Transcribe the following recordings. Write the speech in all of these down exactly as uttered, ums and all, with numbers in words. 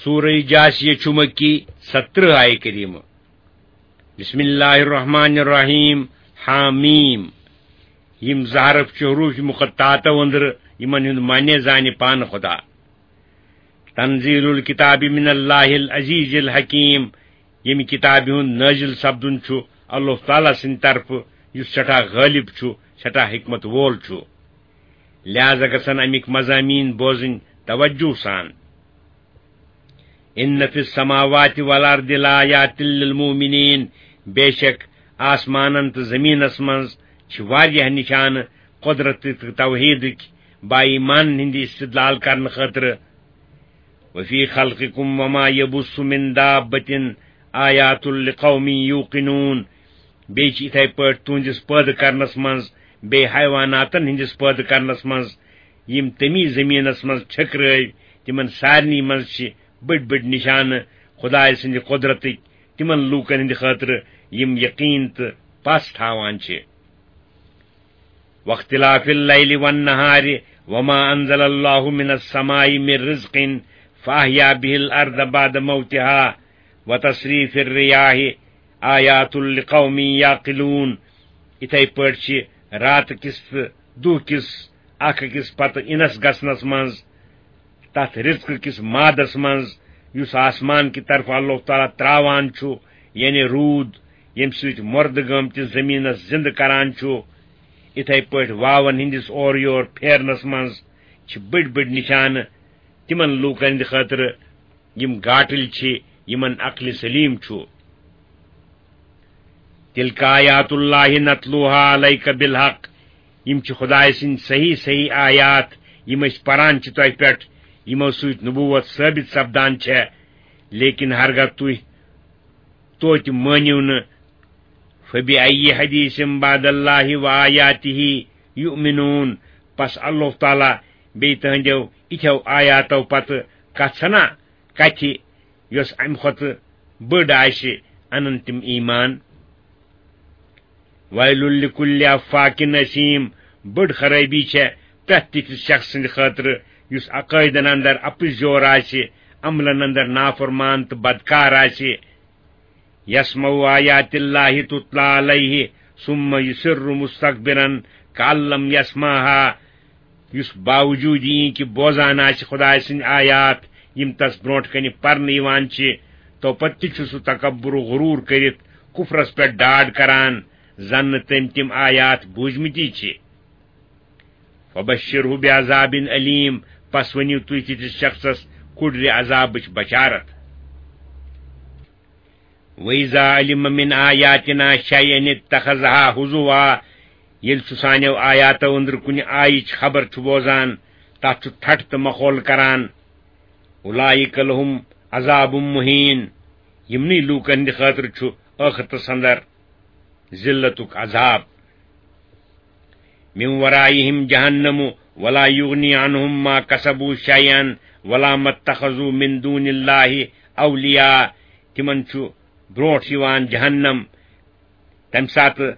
سورہ جاثیہ چھُ مکی، سترہ آیہِ کریمہ۔ بسم اللہ الرحمن الرحیم۔ حامیم۔ یِم زٕ حرف چھِ حروف مقطعاتو أنٛدرٕ، یِمن ہُنٛد معنی زانہِ پانہٕ خدا۔ تنزیل الکتاب من اللہ العزیز الحکیم۔ ییٚمہِ کتابہِ ہُنٛد نٲزِل سپدُن چھُ اللہ تعالیٰ سٕنٛدِ طرفہٕ، یُس سٮ۪ٹھاہ غٲلب چھُ، سٮ۪ٹھاہ حکمت وول چھُ۔ لہذا گژھن اَمِکۍ مضامین بوزٕنۍ توجہ سان۔ ان فی السماوات والارض لآیات للمؤمنین۔ بے شک آسمانن تہٕ زمینس منٛز چھِ واریاہ نشانہٕ قدرت تہٕ توحیدٕکۍ با ایمانن ہٕنٛدِ استدلال کرنہٕ خٲطرٕ۔ وفی خلقکم وما یبث من دابة آیات لقوم یوقنون۔ بیٚیہِ چھِ یِتھے پٲٹھۍ تُہنٛدِس پٲدٕ کرنس منٛز، بیٚیہِ حیواناتن ہٕنٛدِس پٲدٕ کرنس منٛز، یِم تٔمی زٔمیٖنس منٛز چھٔکرٲوۍ، تِمن سارنٕے منٛز چھِ بٔڑۍ بٔڑۍ نِشانہٕ خدایہِ سٕنٛدِ قۄدرتٕکۍ تِمن لوٗکن ہٕنٛدِ خٲطرٕ، یِم یقیٖن تہٕ پژھ تھاوان چھِ۔ واختلاف اللیل والنہار وما انزل اللہ من السماء من رزق فاحیا به الارض بعد موتها وتصریف الریاح آیات لقوم یعقلون۔ یِتھے پٲٹھۍ چھِ راتہٕ کِس تہٕ دُہ کِس اکھ أکِس پتہٕ اِنس گژھنس منٛز، تتھ رزقہٕ کِس مادس منٛز، یُس آسمان کہِ طرفہٕ اللہ تعالیٰ تراوان چھُ، یعنی روٗد، ییٚمہِ سۭتۍ مردٕ گٲمتِس زٔمیٖنس زِندٕ کران چھُ، یِتھے پٲٹھۍ واون ہٕنٛدِس اورٕ یور پھیرنس منٛز چھِ بٔڑۍ بٔڑۍ نِشانہٕ تِمن لوٗکن ہٕنٛدِ خٲطرٕ، یِم گاٹٕلۍ چھِ، یِمن عقلِ سلیم چھُ۔ تلک آیات اللہ نتلوها علیک بالحق۔ یِم چھِ خدایہِ سٕنٛدۍ صحیح صحیح آیات، یِم أسۍ پران چھِ تۄہہِ پٮ۪ٹھ، یِمو سۭتۍ نبوت ثٲبت سپدان چھےٚ۔ لیکن ہرگاہ تُہۍ توتہِ مٲنِو نہٕ، فبأی حدیث بعد اللہ وآیاتہ یؤمنون۔ پس اللہ تعالیٰ بیٚیہِ تُہنٛدیو یِتھیو آیاتو پتہٕ کتھ سنا کتھِ، یۄس امہِ کھۄتہٕ بٔڑ آسہِ، انن تِم ایمان۔ ویل لکل افاک اثیم۔ بٔڑ خرٲبی چھےٚ پرٛٮ۪تھ تِتھِس شخص سٕنٛدِ خٲطرٕ، یُس عقٲیدن اندر اپُز یور آسہِ، عملن اندر نافرمان تہٕ بدکار آسہِ۔ یسمع آیات اللہ تتلی علیہ ثم یصر مستکبرا کأن لم یسمعها۔ یُس باوجود یہِ کہِ بوزان آسہِ خدایہِ سٕنٛدۍ آیات، یِم تس برونٛٹھ کنہِ پرنہٕ یِوان چھِ، تو پتہٕ تہِ چھُ سُہ تکبر و غرور کٔرِتھ کفرس پٮ۪ٹھ ڈاڈ کران، زن نہٕ تٔمۍ تِم آیات بوٗزمٕتی چھِ۔ فبشرہ بعذاب علیم۔ پس ؤنِو تُہۍ تِتھِس شخصس کُڑرِ عذابٕچ بشارت۔ وَإِذَا عَلِمَ مِنْ آيَاتِنَا شَيْئًا اتَّخَذَهَا هُزُوًا۔ ییٚلہِ سُہ سانیو آیاتو أنٛدرٕ کُنہِ آیِچ خبر چھُ بوزان، تَتھ چھُ ٹھٹھ تہٕ مخول کران۔ أُولَٰئِكَ لَهُمْ عَذَابٌ مُهِينٌ۔ یِمنٕے لوٗکن ہٕنٛدِ خٲطرٕ چھُ ٲخرتس اندر ذلتُک عذاب۔ مِنْ وَرَائِهِمْ جَهَنَّمُ وَلَا يُغْنِي عَنْهُمْ مَا كَسَبُوا شَيْئًا وَلَا مَا اتَّخَذُوا مِنْ دُونِ اللَّهِ أَوْلِيَاءَ۔ تِمن چھُ برونٛٹھ یِوان جہنم۔ تَمہِ ساتہٕ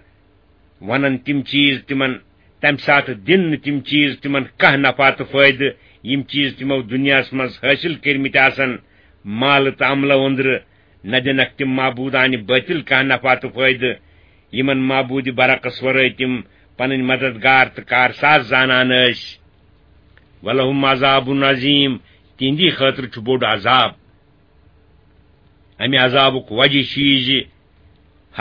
وَنَن تِم چیٖز تِمَن، تَمہِ ساتہٕ دِن نہٕ تِم چیٖز تِمَن کانٛہہ نفع تہٕ فٲیدٕ، یِم چیٖز تِمو دُنیاہَس منٛز حٲصِل کٔرمٕتۍ آسَن، مالہٕ تہٕ عملو أنٛدرٕ، نہ دِنَکھ تِم معبوٗدانہِ بٲطِل کانٛہہ نفع تہٕ فٲیدٕ، یِمَن معبوٗدِ برحقَس ورٲے تِم پَنٕنۍ مددگار تہٕ کارساز زانان ٲسۍ۔ وَلَهُمْ عَذَابٌ عَظِيمٌ، تِہِنٛدی خٲطرٕ چھُ بوٚڑ عذاب۔ اَمہِ عذابُک وجہ چھُ یہِ زِ،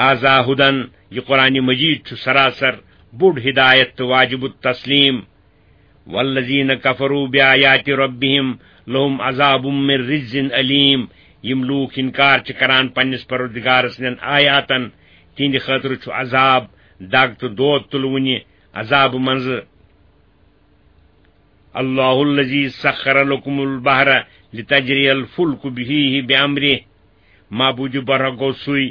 هذا هدى، یہِ قرآن مجید چھُ سراسر بوٚڑ ہدایت تہٕ واجب التسلیم۔ وَالَّذِينَ كَفَرُوا بِآيَاتِ رَبِّهِمْ لَهُمْ عَذَابٌ مِّن رِّجْزٍ أَلِيمٌ۔ یِم لوٗکھ اِنکار چھِ کران پننِس پروردگار سٕنٛدٮ۪ن آیاتن، تِہنٛدِ خٲطرٕ چھُ عذاب، دگ تہٕ دود تُلوٕنہِ عذابہٕ منٛزٕ۔ الله الذي سخر لكم البحر لتجري الفلك فيه بأمره۔ معبود برحق گوٚو سُے،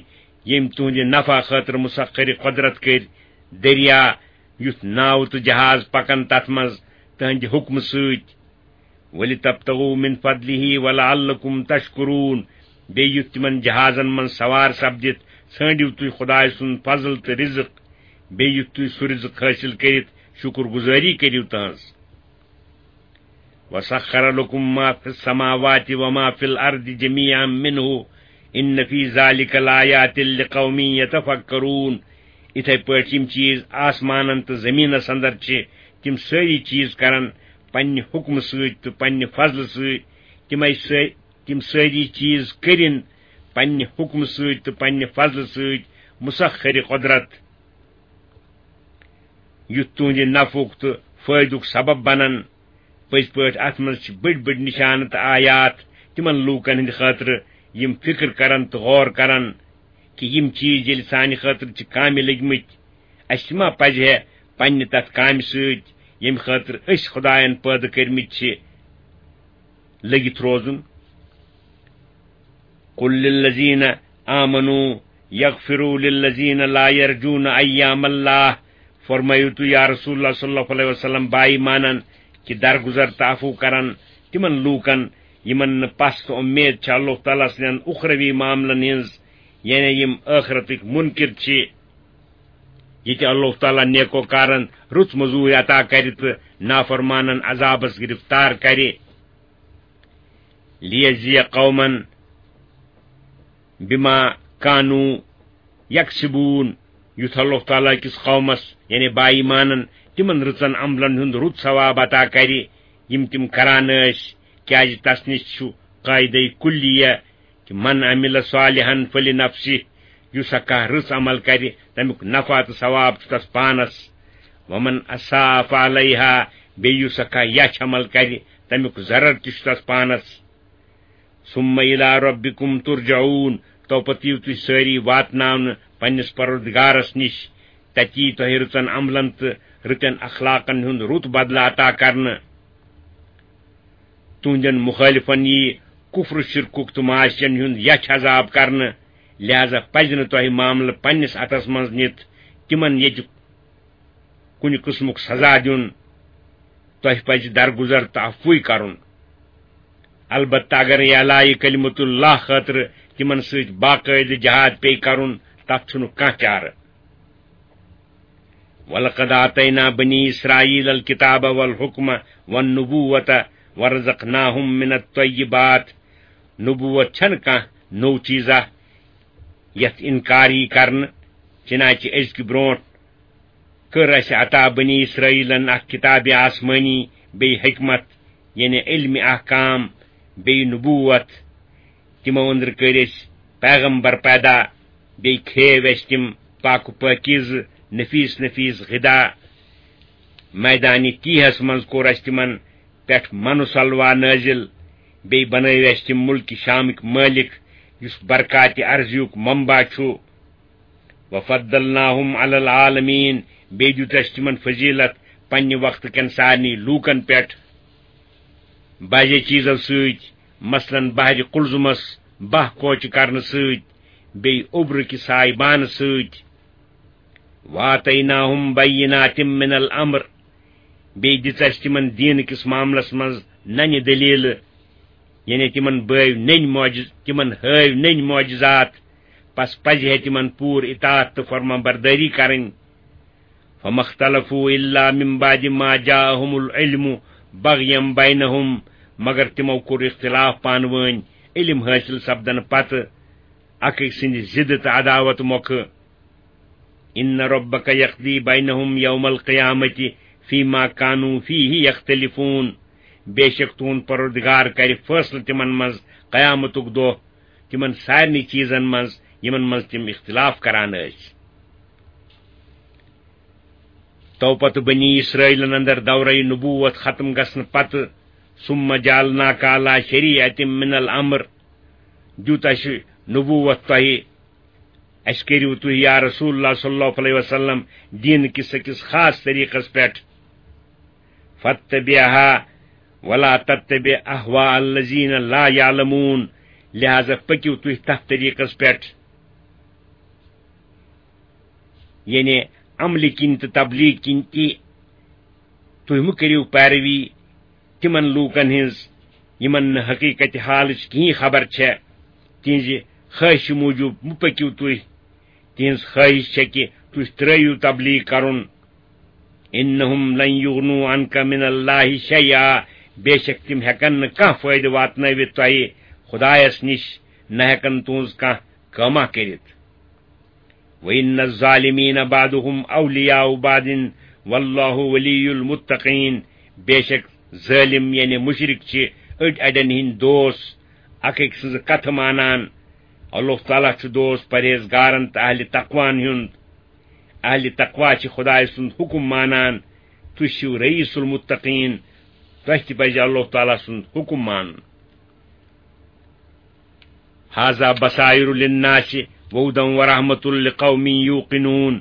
ییٚمۍ تُہنٛدِ نفع خٲطرٕ مسخر قدرت کٔرۍ دریا، یُتھ ناوٕ تہٕ جہاز پکن تتھ منٛز تُہنٛدِ حُکمہٕ سۭتۍ۔ ولتبتغوا من فضله ولعلكم تشكرون۔ بیٚیہِ یُتھ تِمن جہازن منٛز سوار سپدِتھ ژھٲنٛڈِو تُہۍ خدایہِ سُنٛد فضل تہٕ رزق۔ بیٚیہِ یُتھ تُہۍ سُہ رزق حٲصِل کٔرِتھ شُکر گُزٲری کٔرِو تہنٛز۔ وسخر لكم ما في السماوات وما في الأرض جميعا منه إن في ذلك لآيات لقوم يتفكرون۔ یِتھے پٲٹھۍ یِم چیٖز آسمانن تہٕ زٔمیٖنس اندر چھِ، تِم سٲری چیٖز کرن پننہِ حُکمہٕ سۭتۍ تہٕ پننہِ فضلہٕ سۭتۍ۔ تِمے سٲ-، تِم سٲری چیٖز کٔرِن پننہِ حُکمہٕ سۭتۍ تہٕ پننہِ فضلہٕ سۭتۍ، مُسخرِ قۄدرت، یُتھ تُہنٛدِ نفعُک تہٕ فٲیدُک سبب بنن۔ پٔزۍ پٲٹھۍ اتھ منٛز چھِ بٔڑۍ بٔڑۍ نشانہٕ تہٕ آیات تِمن لوٗکن ہٕنٛدِ خٲطرٕ، یِم فکر کرن تہٕ غور کرن کہِ یِم چیٖز ییٚلہِ سانہِ خٲطرٕ چھِ کامہِ لٔگۍ مٕتۍ، اسہِ ما پزِ ہے پننہِ تتھ کامہِ سۭتۍ، ییٚمہِ خٲطرٕ أسۍ خداین پٲدٕ کٔرمٕتۍ چھِ، لٔگِتھ روزُن؟ قل للذین آمنوا یغفروا للذین لا یرجون ایام اللہ۔ فرمٲیِو تُہۍ، یا رسول اللہ صلی اللہ علیہ وسلم، با ایمانن کہِ درگُزر تہٕ عفو کرن تِمن لوٗکن، یِمن نہٕ پس تہٕ اُمید چھِ اللہ تعالیٰ سٕنٛدٮ۪ن اُخروی معاملن ہٕنٛز، یعنی یِم ٲخرتٕکۍ مُنکِر چھِ۔ ییٚتہِ اللہ تعالیٰ نیکوکارن رٕژ مٔزوٗرۍ عطا کرِ تہٕ نافرمانن عذابس گرفتار کرِ۔ لیجزی قومن بما کانوا یکسبون، یُتھ اللہ تعالیٰ کِس قومس، یعنی با ایمانن، تِمن رٕژن عملن ہُنٛد رُت ثواب عطا کرِ، یِم تِم کران ٲسۍ، کیازِ تس نِش چھُ قاعدے کلیہ کہِ من عمل صالحا فلنفسہ، یُس ہا کانٛہہ رٕژ عمل کرِ، تمیُک نفع تہٕ ثواب چھُ تس پانس۔ ومن اساء فعلیہا، بیٚیہِ یُس ہا کانٛہہ یچھ عمل کرِ، تمیُک ضرر تہِ چھُ تس پانس۔ ثم الی ربکم ترجعون، تو پتہٕ یِیِو تُہۍ سٲری واتناونہٕ پننِس پروردگارس نِش، تتہِ یی تۄہہِ رٕژن عملن تہٕ رٕتٮ۪ن اخلاقن ہُنٛد رُت بدلہٕ عطا کرنہٕ۔ تُہنٛدٮ۪ن مُخٲلِفن یی کُفر و شرکُک تہٕ معاشین ہُنٛد یچھ عذاب کرنہٕ، لہذا پزِ نہٕ تۄہہِ معاملہٕ پننِس اتھس منٛز نِتھ تِمن ییٚتہِ کُنہِ قٕسمُک سزا دیُن۔ تۄہہِ پزِ درگُزر تہٕ عفوٕے کرُن۔ البتہ اگر اعلاءِ کلمت اللہ خٲطرٕ تِمن سۭتۍ باقٲعدٕ جہاد پیٚیہِ کرُن، تتھ چھُنہٕ کانٛہہ چارٕ۔ ولقد آتینا بنی اسرائیل الکتاب والحکم والنبوۃ ورزقناہم من الطیبات۔ نبوت چھنہٕ کانٛہہ نوٚو چیٖزا یتھ انکار یی کرنہٕ، چنانچہ أزکہِ برونٛٹھ کٔر اسہِ عطا بنی اسرائیلن اکھ کتاب آسمانی، بیٚیہِ حکمت، یعنی علم احکام، بیٚیہِ نبوت۔ تِمو أنٛدرٕ کٔرۍ أسۍ پیغمبر پیدا، بیٚیہِ کھیو اسہِ تِم پاک و پٲکیٖزٕ نفیس نفیس غذا۔ میدانِ تیہس منٛز کوٚر اسہِ تِمن پٮ۪ٹھ من و سلویٰ نٲزِل، بیٚیہِ بنٲوۍ اسہِ تِم مُلکہِ شامٕکۍ مٲلِک، یُس برکاتِ ارضیُک منبع چھُ۔ وفضلناہم علی العالمین، بیٚیہِ دیُت اسہِ تِمن فضیلت پننہِ وقتہٕ کٮ۪ن سارنٕے لوٗکن پٮ۪ٹھ۔ بعضے چیٖزو سۭتۍ، مثلاً بحرِ قلزمس باہ کوچہِ کرنہٕ سۭتۍ، بیٚیہِ اوٚبرٕ کہِ سایبانہٕ سۭتۍ۔ وآتیناہم بینات من الامر، بیٚیہِ دِژ اسہِ تِمن دیٖنہٕ کِس معاملس منٛز ننہِ دٔلیٖلہٕ، یعنی تِمن بٲوۍ نٔنۍ معجز-، تِمن ہٲوۍ نٔنۍ معجزات، پس پزِ ہے تِمن پوٗرٕ اطاعت تہٕ فرمان بردٲری کرٕنۍ۔ فما اختلفوا الا من بعد ما جاءهم العلم بغیا بینہم، مگر تِمو کوٚر اختلاف پانہٕ وٲنۍ علم حٲصِل سپدنہٕ پتہٕ، اکھ أکۍ سٕنٛدِ ضد تہٕ عداوت مۄکھٕ۔ ان ربک یقضی بینہم یوم القیامۃ فیما کانوا فیہ یختلفون، بے شک تُہُنٛد پروردگار کرِ فٲصلہٕ تِمن منٛز قیامتُک دۄہ، تِمن سارنٕے چیٖزن منٛز یِمن منٛز تِم اختلاف کران ٲسۍ۔ تو پتہٕ بنی اسرائیلن اندر دورہ نبوت ختم گژھنہٕ پتہٕ، ثم جعلناک علی شریعۃ من الامر، دیُت اسہِ نبوت تۄہہِ، اسہِ کٔرِو تُہۍ یا رسول اللہ صلی اللہ علیہ وسلم دیٖن کِس أکِس خاص طریٖقس پٮ۪ٹھ۔ فاتبعها ولا تتبع اهواء الذين لا يعلمون، لہذا پٔکِو تُہۍ تتھ طریٖقس پٮ۪ٹھ، یعنی عملہِ کِنۍ تہٕ تبلیغ کِنۍ تہِ۔ تُہۍ مہٕ کٔرِو پیروی تِمن لوٗکن ہٕنٛز، یِمن نہٕ حقیٖقت حالٕچ کِہیٖنۍ خبر چھےٚ۔ تِہنٛزِ خٲہشہِ موٗجوٗب مہٕ پٔکِو تُہۍ۔ تِہنٛز خٲہِش چھےٚ کہِ تُہۍ ترٲوِو تبلیغ کرُن۔ انہم لن یغنوا عنک من اللہ شیئا، بے شک تِم ہٮ۪کن نہٕ کانٛہہ فٲیدٕ واتنٲوِتھ تۄہہِ خۄدایس نِش، نہ ہٮ۪کن تُہنٛز کانٛہہ کٲمہ کٔرِتھ۔ وَإِنَّ الظَّالِمِينَ بَعْضُهُمْ أَوْلِيَاءُ بَعْضٍ وَاللَّهُ وَلِيُّ الْمُتَّقِينَ۔ بے شک ظٲلِم یعنی مُشرِک چھِ أڑۍ اَڑٮ۪ن ہٕنٛدۍ دوس، اکھ أکۍ سٕنٛز کتھٕ مانان۔ اللہ تعالیٰ چھُ دوست پرہیزگارن تہٕ اہلِ تقوان ہُنٛد۔ اہلِ تقویٰ چھِ خۄدایہِ سُنٛد حُکُم مانان۔ تُہۍ چھِو رئیس المتقین، تۄہہِ تہِ پزِ اللہ تعالیٰ سُنٛد حُکُم مانُن۔ هذا بصائر للناس وهدى ورحمة لقوم يوقنون۔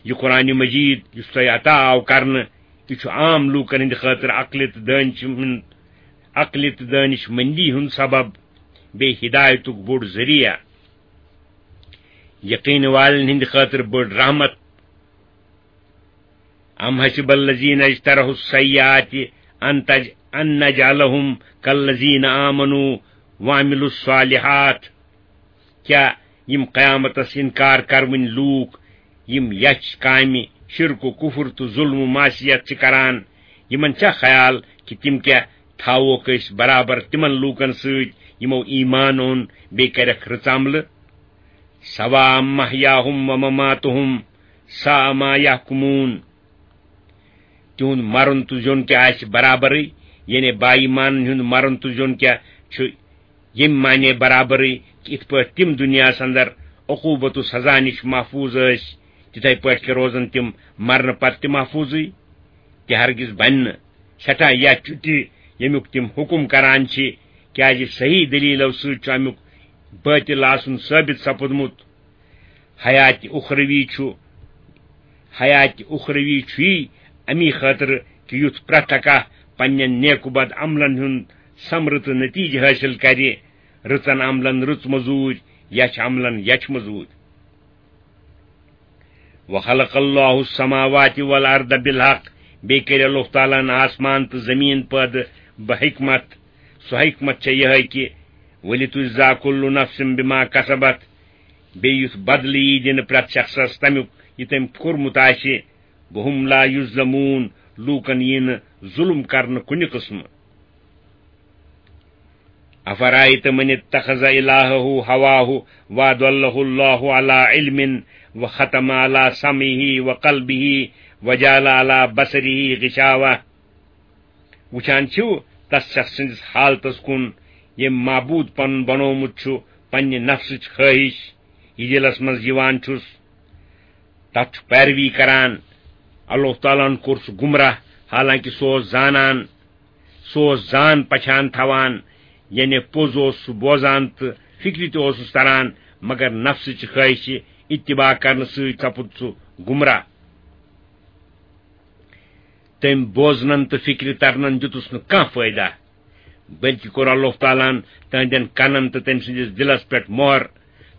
یہِ قرآن مجید یُس تۄہہِ عطا آو کرنہٕ، یہِ چھُ عام لوٗکن ہٕنٛدِ خٲطرٕ عقلہِ تہٕ دٲنِش ہُنٛد، عقلہِ تہٕ دٲنِش مندی ہُنٛد سبب، بیٚیہِ ہدایتُک بوٚڑ ذٔریعہٕ۔ یقین والٮ۪ن ہٕنٛدِ خٲطرٕ بٔڑ رحمت۔ أم حسب الذين اجترحوا السيئات أن تج-، أن نجعلهم كالذين آمنوا وعملوا الصالحات۔ کیا یِم قیامتس انکار کروٕنۍ لوٗکھ، یِم یچھ کامہِ، شرک و کفر تہٕ ظلم و معصیت چھِ کران، یِمن چھا خیال کہِ تِم کیا تھاووکھ أسۍ برابر تِمن لوٗکن سۭتۍ یِمو ایمان اوٚن بیٚیہِ کَرٮ۪کھ رٕژ عملہٕ؟ سواء محیاہم و مماتہم ساء ما یحکمون۔ تِہُنٛد مرُن تہٕ زیُن کیٛاہ آسہِ برابرٕے؟ یعنی با ایمانن ہُنٛد مرُن تہٕ زیُن کیٛاہ چھُ ییٚمہِ معنی برابرٕے کہِ یِتھ پٲٹھۍ تِم دُنیاہس اندر عقوبت و سزا نِش محفوظ ٲسۍ، تِتھے پٲٹھۍ کیٛاہ روزن تِم مرنہٕ پتہٕ تہِ محفوظٕے؟ تہِ ہرگز بنہِ نہٕ۔ سٮ۪ٹھاہ یَتھ چھُ تہِ، ییٚمیُک تِم حُکُم کران چھِ، کیٛازِ صحیح دٔلیٖلو سۭتۍ چھُ اَمیُک بٲطِل آسُن ثٲبِت سپُدمُت۔ حیاتِ اُخروی چھُ، حیاتِ اُخروی چھُ یی اَمی خٲطرٕ کہِ یُتھ پرٛٮ۪تھ اکھ پننٮ۪ن نیک و بد عملن ہُنٛد ثمرٕ تہٕ نتیجہٕ حٲصِل کرِ، رٕژن عملن رٕژ مٔزوٗرۍ، یچھ عملن یچھ مٔزوٗرۍ۔ وخلق اللہ السماوات والارض بالحق، بیٚیہِ کٔرۍ اللہ تعالیٰ ہن آسمان تہٕ زمیٖن پٲدٕ بحکمت۔ سۄ حکمت چھےٚ یِہے کہِ ولتجزى كل نفس بما كسبت، بیٚیہِ یُتھ بدلہٕ یی دِنہٕ پرٛٮ۪تھ شخصس تمیُک یہِ تٔمۍ کوٚرمُت آسہِ۔ وهم لا يظلمون، لوٗکن یی نہٕ ظُلم کرنہٕ کُنہِ قٕسمہٕ۔ أفرأيت من اتخذ إلهه هواه وأضله الله على علم وختم على سمعه وقلبه وجعل على بصره غشاوة۔ وٕچھان چھِو تس شخص سٕنٛدِس حالتس کُن، ییٚمۍ معبوٗد پنُن بنوومُت چھُ پننہِ نفسٕچ خٲہِش، یہِ دِلس منٛز یِوان چھُس، تتھ چھُ پیروی کران۔ اللہ تعالیٰ ہن کوٚر سُہ گمراہ، حالانکہ سُہ اوس زانان، سُہ اوس زان پچھان تھاوان، یعنی پوٚز اوس سُہ بوزان تہٕ فکرِ تہِ اوسُس تران، مگر نفسٕچہِ خٲہشہِ اتباع کرنہٕ سۭتۍ سپُد سُہ گمراہ۔ تٔمۍ بوزنن تہٕ فکرِ ترنن دیُتُس نہٕ کانٛہہ فٲیدہ، بلکہ کوٚر اللہ تعالیٰ ہن تہنٛدٮ۪ن کنن تہٕ تٔمۍ سٕنٛدِس دِلس پٮ۪ٹھ مۄہر،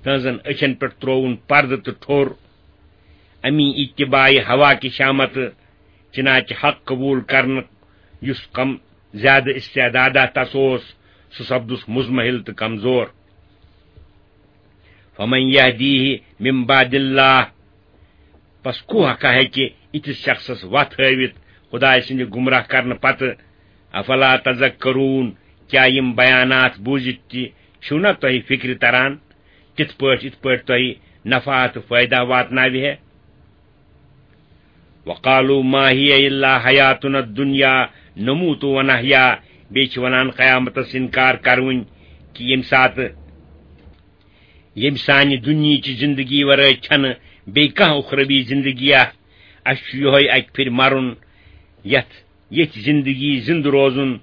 تہنٛزن أچھن پٮ۪ٹھ ترووُن پردٕ تہٕ ٹھوٚر۔ امی اتباعِ ہوا کہِ شامتہٕ چنانچہ حق قبول کرنہٕ یُس کم زیادٕ استعدادہ تس اوس، سُہ سپدُس مضمحل تہٕ کمزور۔ فمن يهديه من بعد الله، پس کوہ ہا ہیٚکہِ یِتھِس شخصس وتھ ہٲوِتھ خدایہِ سٕنٛدِ گمراہ کرنہٕ پتہٕ؟ افلا تذکرون، کیٛاہ یِم بیانات بوٗزِتھ تہِ چھِو نہ تۄہہِ فکرِ تران، تِتھ پٲٹھۍ یِتھ پٲٹھۍ تۄہہِ نفع تہٕ فٲیدہ واتناوِ ہے؟ وقالوا ما هي الا حياتنا الدنيا نموت ونحيا، بیٚیہِ چھِ ونان قیامتس انکار کروٕنۍ کہِ ییٚمہِ ساتہٕ ییٚمہِ سانہِ دُنیہٕچہِ زندگی ورٲے چھنہٕ بیٚیہِ کانٛہہ اُخروی زندگی اکھ۔ اسہِ چھُ یِہوٚے اکہِ پھِرِ مرُن، یتھ، ییٚتھۍ زندگی زندٕ روزُن۔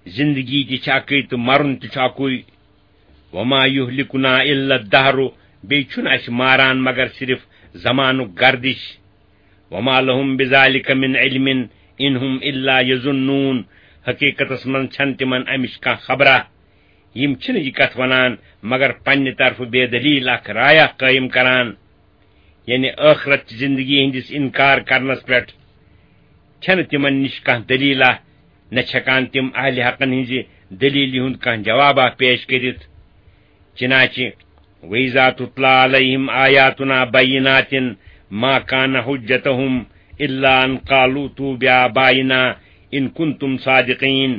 زندگی تہِ چھِ اکٕے تہٕ مرُن تہِ چھُ اکُے۔ وما يهلكنا الا الدهر، بیٚیہِ چھُنہٕ اسہِ ماران مگر صرف زمانُک گردش۔ وما لهم بذلك من علم ان هم الا يظنون، حقیقتس منٛز چھنہٕ تِمن امِچ کانٛہہ خبرا۔ یِم چھِنہٕ یہِ کتھ ونان مگر پننہِ طرفہٕ بے دلیل اکھ رایا قٲیِم کران، یعنی ٲخرت چہِ زندگی ہٕنٛدِس انکار کرنس پٮ۪ٹھ چھنہٕ تِمن نِش کانٛہہ دلیلہ، نہ چھِ ہٮ۪کان تِم اہلِ حقن ہٕنٛزِ دلیلہِ ہُنٛد کانٛہہ جوابہ پیش کٔرِتھ۔ چنانچہ وَإِذَا تُتْلَى عَلَيْهِمْ آيَاتُنَا بَيِّنَاتٍ مَا كَانَ حُجَّتُهُمْ إِلَّا أَنْ قَالُوا ائْتُوا بِآبَائِنَا إِنْ كُنْتُمْ صَادِقِينَ۔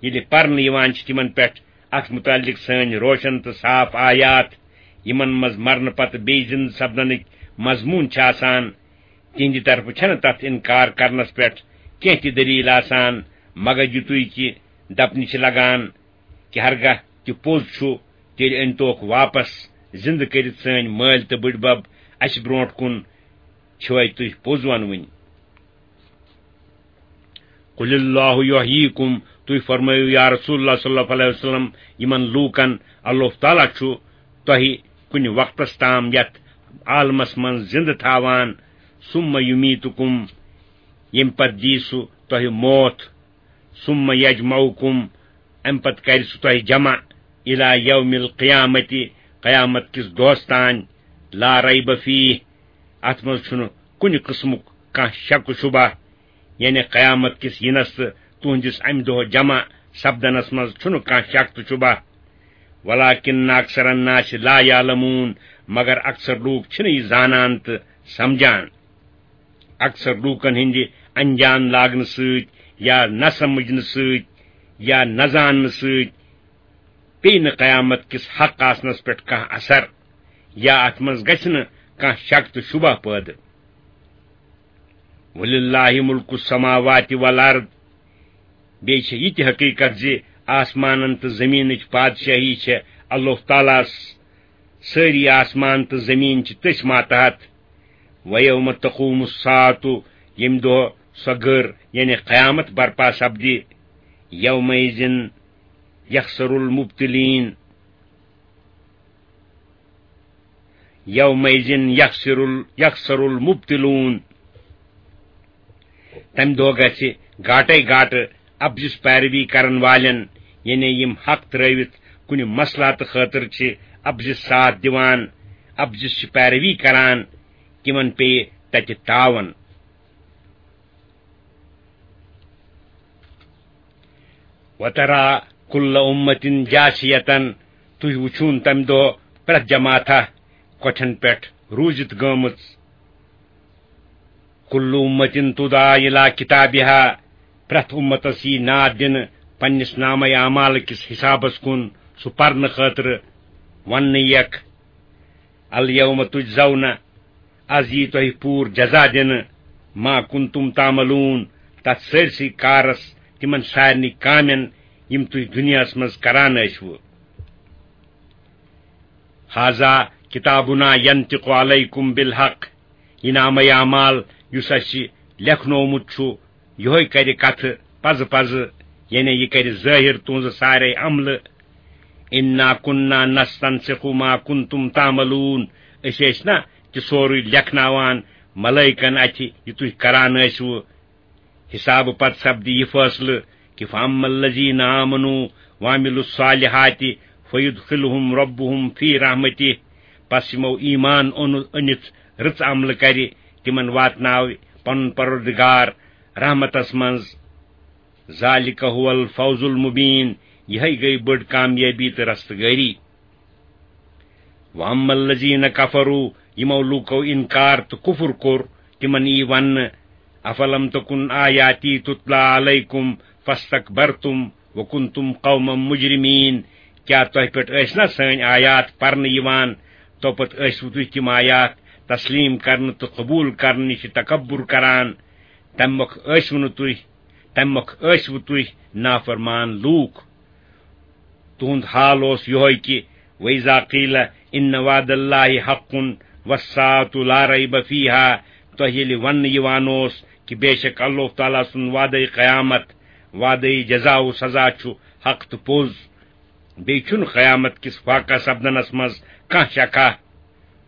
ییٚلہِ پرنہٕ یِوان چھِ تِمن پٮ۪ٹھ اتھ متعلق سٲنۍ روشن تہٕ صاف آیات، یِمن منٛز مرنہٕ پتہٕ بیٚیہِ زِندٕ سپدنٕکۍ مضموٗن چھِ آسان، تِہنٛدِ طرفہٕ چھنہٕ تتھ انکار کرنس پٮ۪ٹھ کینٛہہ تہِ دلیل آسان، مگر یِتُے کہِ دپنہِ چھِ لگان کہِ ہرگاہ تہِ پوٚز چھُ، تیٚلہِ أنۍتوکھ واپس زِندٕ کٔرِتھ سٲنۍ مٲلۍ تہٕ بٕڈبب، اسہِ برونٛٹھ کُن چھِوے تُہۍ پوٚز ونوٕنۍ۔ قل اللہ یحییکم، تُہۍ فرمٲیِو یا رسول اللہ صلی اللہ علیہ وسلم یِمن لوٗکن، اللہ تعالیٰ چھُ تۄہہِ کُنہِ وقتس تام یتھ عالمس منٛز زِندٕ تھاوان، ثم یمیتکم، ییٚمہِ پتہٕ دِیہِ سُہ تۄہہِ موت، ثم یجمعکم، امہِ پتہٕ کرِ سُہ تۄہہِ جمع، الی یوم القیامتی، قیامت کِس دۄہس تام، لا ریب فیہ، اتھ منٛز چھُنہٕ کُنہِ قٕسمُک کانٛہہ شک و شبہ، یعنی قیامت کِس یِنس تہٕ تُہنٛدِس امہِ دۄہ جمع سپدنس منٛز چھُنہٕ کانٛہہ شک تہٕ شبہ۔ ولکن اکثر الناس لا یعلمون، مگر اکثر لوٗکھ چھِنہٕ یہِ زانان تہٕ سمجھان۔ اکثر لوٗکن ہٕنٛدِ انجان لاگنہٕ سۭتۍ یا نہ سمجھنہٕ سۭتۍ یا نہ زاننہٕ سۭتۍ پیٚیہِ نہٕ قیامت کِس حق آسنس پٮ۪ٹھ کانٛہہ اثر، یا اتھ منٛز گژھِ نہٕ کانٛہہ شک تہٕ شبہ پٲدٕ۔ وللہ ملک السماوات والارض، بیٚیہِ چھِ یہِ تہِ حقیٖقت زِ آسمانن تہٕ زٔمیٖنٕچ پادشاہی چھےٚ اللہ تعالیٰ ہس، سٲری آسمان تہٕ زٔمیٖن چھِ تٔسۍ ماتحت۔ ویوم تقوم الساعۃ، ییٚمہِ دۄہ سۄ گٔر یعنی قیامت برپا سپدِ، یومئذ یخسر المبطلین، یومئذ یخسر ال-، یخسر المبطلون۔ تمہِ دۄہ گژھِ گاٹے گاٹہٕ اپزِس پیروی کرن والٮ۪ن، یعنی یِم حق ترٲوِتھ کُنہِ مصلحتہٕ خٲطرٕ چھِ اپزِس ساتھ دِوان، اپزِس چھِ پیروی کران، تِمن پیٚیہِ تتہِ تاون۔ وترا کل امة جاثیة، تُہۍ وٕچھُن تمہِ دۄہ پرٛٮ۪تھ جماعتھا کۄٹھٮ۪ن پٮ۪ٹھ روٗزِتھ گٲمٕژ۔ کل امة تدعی الی کتابہا، پرٛٮ۪تھ اُمتس یی ناد دِنہٕ پننِس نامہ اعمال کِس حسابس کُن، سُہ پرنہٕ خٲطرٕ۔ وننہٕ یِیَکھ، الیوم تجزون، از یی تۄہہِ پوٗرٕ جزا دِنہٕ، ما کنتم تعملون، تتھ سٲرسٕے کارس، تِمن سارنٕے کامٮ۪ن یِم تُہۍ دُنیاہس منٛز کران ٲسوٕ۔ ھذا کتابنا ینطق علیکم بالحق، یہِ نامہ اعمال یُس اسہِ لیکھنومُت چھُ، یِہوے کرِ کتھٕ پزٕ پزٕ، یعنی یہِ کرِ ظٲہر تُہنٛزٕ سارے عملہٕ۔ انا کنا نستنسخ ما کنتم تعملون، أسۍ ٲسۍ نا تہِ سورُے لیکھناوان ملائکن اتھِ یہِ تُہۍ کران ٲسوٕ۔ حسابہٕ پتہٕ سپدِ یہِ فٲصلہٕ کہِ فاما الذین آمنوا وعملوا الصالحات فیدخلہم ربہم فی رحمتہ، پس یِمو ایمان اوٚن-، أنِتھ رٕژ عملہٕ کرِ، تِمن واتناوِ پنُن پروردگار رحمتس منٛز۔ ذالک هو الفوز المبین، یِہے گٔے بٔڑ کامیٲبی تہٕ رستگٲری۔ واما الذین کفروا، یِمو لوٗکو انکار تہٕ کفر کوٚر، تِمن یی وننہٕ، افلم تکن آیاتی تتلی علیکم فاستکبرتم وکنتم قوما مجرمین، کیٛاہ تۄہہِ پٮ۪ٹھ ٲسۍ نا سٲنۍ آیات پرنہٕ یِوان، توپتہٕ ٲسوٕ تُہۍ تِم آیات تسلیم کرنہٕ تہٕ قبول کرنہٕ نِش تکبر کران؟ تمہِ مۄکھ ٲسوٕ نہٕ تُہۍ، تمہِ مۄکھ ٲسوٕ تُہۍ نافرمان لوٗکھ۔ تُہُنٛد حال اوس یِہوے کہِ وَإِذَا قِيلَ إِنَّ وَعْدَ اللَّهِ حَقٌّ وَالسَّاعَةُ لَا رَيْبَ فِيهَا، تۄہہِ ییٚلہِ وننہٕ یِوان اوس کہِ بے شک اللہ تعالیٰ سُنٛد وعدے قیامت، وعدے جزا و سزا چھُ حق تہٕ پوٚز، بیٚیہِ چھُنہٕ قیامت کِس واقع سپدنس منٛز کانٛہہ شکھا۔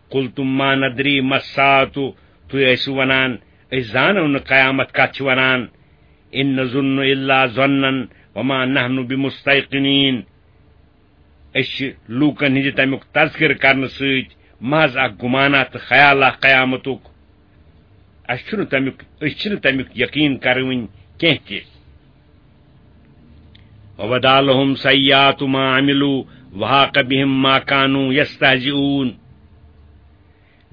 قُلْتُمْ مَا نَدْرِي مَا السَّاعَةُ، تُہۍ ٲسِو ونان، أسۍ زانو نہٕ قیامت کتھ چھِ ونان۔ إِنْ نَظُنُّ إِلَّا ظَنًّا وَمَا نَحْنُ بِمُسْتَيْقِنِينَ۔ أسۍ چھِ لوٗکن ہٕنٛدِ تمیُک تذکرٕ کرنہٕ سۭتۍ محض اکھ گُمانا تہٕ خیالا قیامتُک۔ اسہِ چھُنہٕ تمیُک، أسۍ چھِنہٕ تمیُک یقین کرٕوٕنۍ کینٛہہ تہِ۔ وَبَدَا لَهُمْ سَيِّئَاتُ مَا عَمِلُوا وَحَاقَ بِهِمْ مَا كَانُوا يَسْتَهْزِئُونَ۔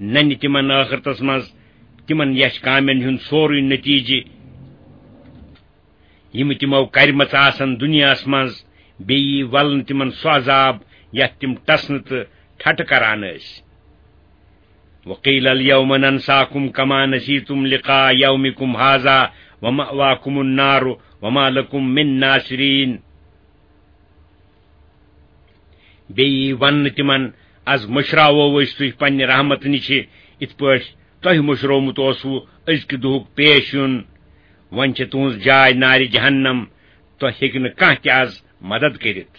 ننہِ تِمن ٲخرتس منٛز تِمن یش کامٮ۪ن ہُنٛد سورُے نتیجہِ، یِم تِمو کَرِمَژٕ آسَن دُنیاہَس منٛز، بیٚیہِ یی وَلنہٕ تِمَن سُہ عذاب، یَتھ تِم ٹَسنہٕ تہٕ ٹھٹہٕ کَران ٲسۍ۔ وقیل الیوم ننساکم کما نسیتم لقاء یومکم هذا ومأواکم النار وما لکم من ناصرین۔ بیٚیہِ یی وننہٕ تِمن، از مٔشراوو أسۍ تُہۍ پننہِ رحمتہٕ نِشہِ، یِتھ پٲٹھۍ تۄہہِ مٔشرومُت اوسوٕ أزکہِ دۄہُک پیش یُن۔ وۄنۍ چھِ تُہنٛز جاے نارِ جہنم، تۄہہِ ہیٚکہِ نہٕ کانٛہہ تہِ از مدد کٔرِتھ۔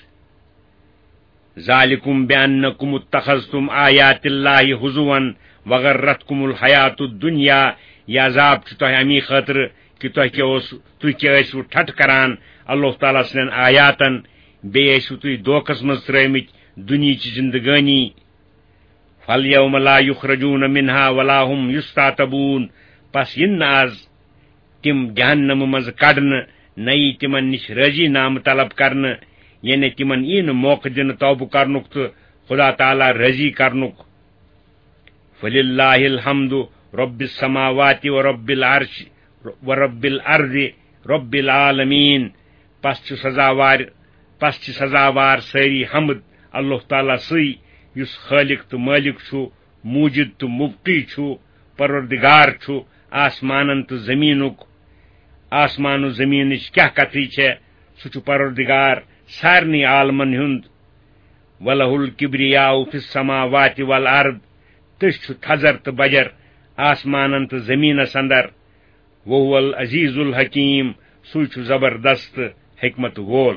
ذالکم بأنکم اتخذتم آیات اللہ ہزوا وغرتکم الحیات الدنیا۔ یہِ عذاب چھُ تۄہہِ امی خٲطرٕ کہِ تۄہہِ کیٛاہ اوس، تُہۍ کیٛاہ ٲسِو ٹھٹھ کران اللہ تعالیٰ سٕنٛدٮ۪ن آیاتن، بیٚیہِ ٲسِو تُہۍ دھوکس منٛز ترٲومٕتۍ دُنیہٕچ زندگٲنی۔ فالیوم لا یخرجون منہا ولا هم یستعتبون۔ پس یِن نہٕ از تِم جہنمہٕ منٛزٕ کڑنہٕ، نہ یی تِمن نِش رٲضی نامہٕ طلب کرنہٕ، یعنی تِمن یی نہٕ موقعہٕ دِنہٕ توبہٕ کرنُک تہٕ خدا تعالیٰ رٲضی کرنُک۔ فللہ الحمد رب السماوات و رب العرش و رب الارض رب العالمین۔ پس چھُ سزاوار، پس چھِ سزاوار سٲری حمد اللہ تعالیٰ سٕے، یُس خالق تہٕ مالک چھُ، موجد تہٕ مبقی چھُ، پروردگار چھُ آسمانن تہٕ زمینُک۔ آسمان و زمینٕچ کیٛاہ کتھٕے چھےٚ، سُہ چھُ پروردگار سارنٕے عالمن ہُنٛد۔ وَلَهُ الْكِبْرِيَاءُ فِي السَّمَاوَاتِ وَالْأَرْضِ۔ تٔسۍ چھُ تھزر تہٕ بجر آسمانن تہٕ زمینس اندر۔ وَهُوَ الْعَزِيزُ الْحَكِيمُ۔ سُے چھُ زبردست حکمت وول۔